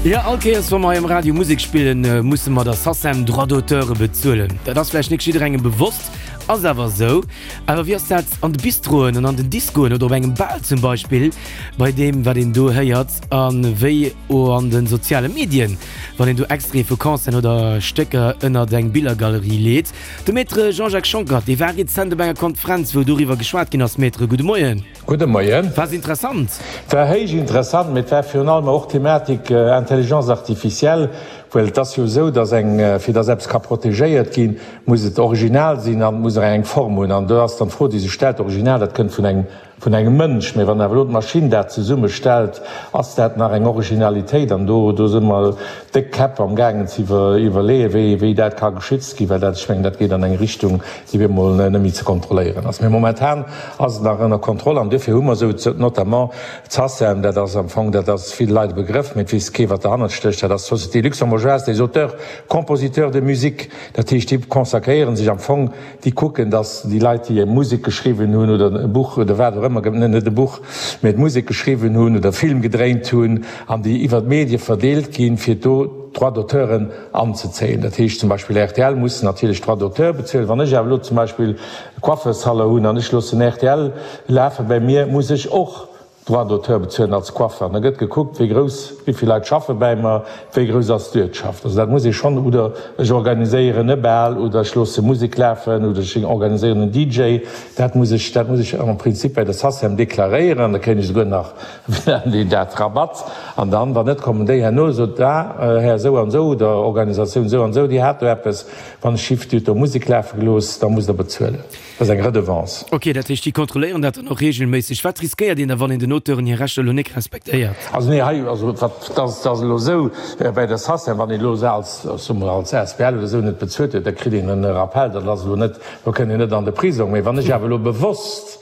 Jo, all Kéiers wa mer hei um Radio Musek spillen, musse mer der SACEM Droits d'auteure bezuelen. Dat ass vläicht nik jidderengem bewosst, ass awer esou. Awer wéi ass dat an de Bistroen an an den Discoen oder op engem Bal zum Beispill, bei deem wat een do héiert? A wéi o an de soziale Medien, wann een do Extraite vu Concerten oder Stécker ënnert eng Billergalerie leet? De Maître Jean-Jacques Schonckert, dee war rezent op enger Konferenz, wou doriwwer geschwat ginn ass. Maître, gudde Moien. Gudde Moien. War se interessant? War héich interessant, mee et war virun allem och d'Thematik Intelligence artificielle, well et ass jo esou, dass eng, fir dass eppes ka protegéiert ginn, muss et original sinn an et muss och eng Form hunn. An do ass dann d'Fro, déi sech stellt, Original, dat kënnt vun engem, vun engem Mënsch, mee wann awer elo d'Maschinn dat zesummestellt, ass dat nach eng Originalitéit? An do, do si mer déck Käpp am gaangen ze iwwerleeën, wéi, wéi dat ka geschützt ginn, well dat, ech mengen, dat geet an eng Richtung, déi op eemol net méi ze kontrolléieren ass. Mee momentan ass et nach ënner Kontroll an duerfir hu mer esou notamment d'SACEM, dat ass am Fong, dat ass ville Leit e Begrëff, mee et weess kee wat derhannert stécht, dat ass d'Société luxembourgeoise des auteurs compositeurs de musique, dat heescht déi consacréiere sech am Fong, déi kucken, datt déi Leit déi Musek geschriwwen hunn oder e Buch oder wat och ëmmer, net e Buch, mee d'Musek geschriwwen hunn oder e Film gedréint hunn an déi iwwer d'Medie verdeelt ginn, fir do d'Droits d'auteuren anzezéien. Dat heescht zum Beispill rtl muss natierlech Droits d'auteur bezuelen. Wann ech awer elo zum Beispill e Coiffeursalon hunn an ech loossen rtl lafe bei mir, muss ech och Droits d'auteur bezuelen als Coiffeur. An da gëtt gekuckt, wéi grouss, wéi vill Leit schaffe bäi mer, wéi grouss ass d'Uertschaft. Also dat muss ee schonn, oder ech organiséieren e Bal oder ech loosse Musek lafen oder ech organiséieren en DJ. Dat muss ech, dat muss ech am Prinzip bei der SACEM deklaréieren an da kréien ech souguer nach Deen dat Rabatt. An dann, wann net, kommen déi herno, sot, Ah, Här esou an esou oder Organisatioun esou an esou, Dir hat do eppes, wann ech hieft, Dir hutt do Musek lafe gelooss, da musst Der bezuelen. Dat ass eng Redevance. Ok, dat heescht, déi kontrolléieren dat dann och reegelméisseg. Wat riskéiert een da, wann een den Auteuren hir Rechter elo nik respektéiert? Also nee, hei, also wat, dat ass, dat ass elo esou bäi der SACEM, wann een elo se als, ech soe mol, als asbl oder esou net bezuelt huet, da kritt een e Rappel. Dat ass elo net, do kënnt een net an de Prisong. Mee wann ech awer elo bewosst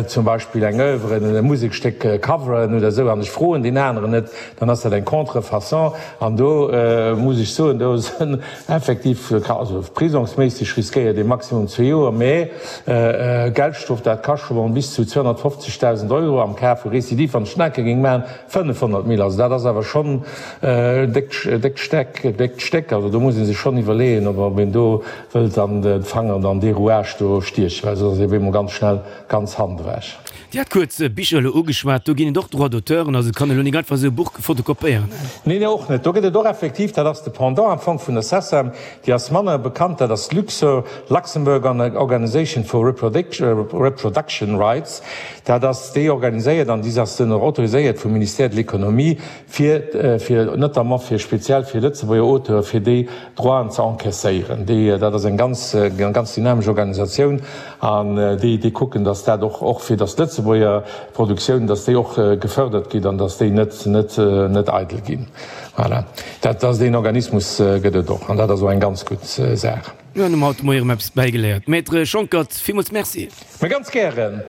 zum Beispill eng Oeuvre, e Musekstéck coveren oder esou, an ech froen deen aneren net, dann ass dat eng Contrefaçon. An do muss ech soen, do sënn effektiv, also prisongsméisseg riskéiert ee maximum zwee Joer, mä Geldstrof, dat ka scho mol bis zu 250.000 Euro, am Cas vu Récidive, wann ech den Enke géing maachen, 500 mille. Also dat ass awer schonn e déckt Steck, e déckt Stéck. Also do muss ee sech schonn iwwerleeën, ob een do wëllt an de Fanger an dee Rouage do stiechen, well soss ass ee op eemol ganz schnell ganz Hand ewech. Dir hat kuerz Bicher elo ugeschwat, do ginn et och Droits d'auteuren, also et kann elo nik einfach esou e Buch fotokopéieren. Nee, nee, och net. Do gëtt et och effektiv, dat ass de Pendant am Fong vun der SACEM, déi ass manner bekannt, dat ass d'LUXOR, Luxembourg Organization for Reproduction Rights. Dat ass déi organiséiert an déi ass dann och autoriséiert vum Ministère de l'Économie, fir, fir notamment fir speziell fir Lëtzebuerger Auteure fir déi Droiten ze encaisséieren. Déi, dat ass eng ganz, eng ganz dynamesch Organisatioun an déi, déi kucken, dass dat och, och fir dass d'Lëtzebuerger Produktiounen, dass déi och gefördert ginn an dass déi net, net, net eidel ginn. Voilà. Dat ass, deen Organismus gëtt et och an dat ass och eng ganz gutt Saach. Mir hunn haut de Moie erëm eppes bäigeléiert. Maître Schonckert, villmools Merci. Mä ganz gären.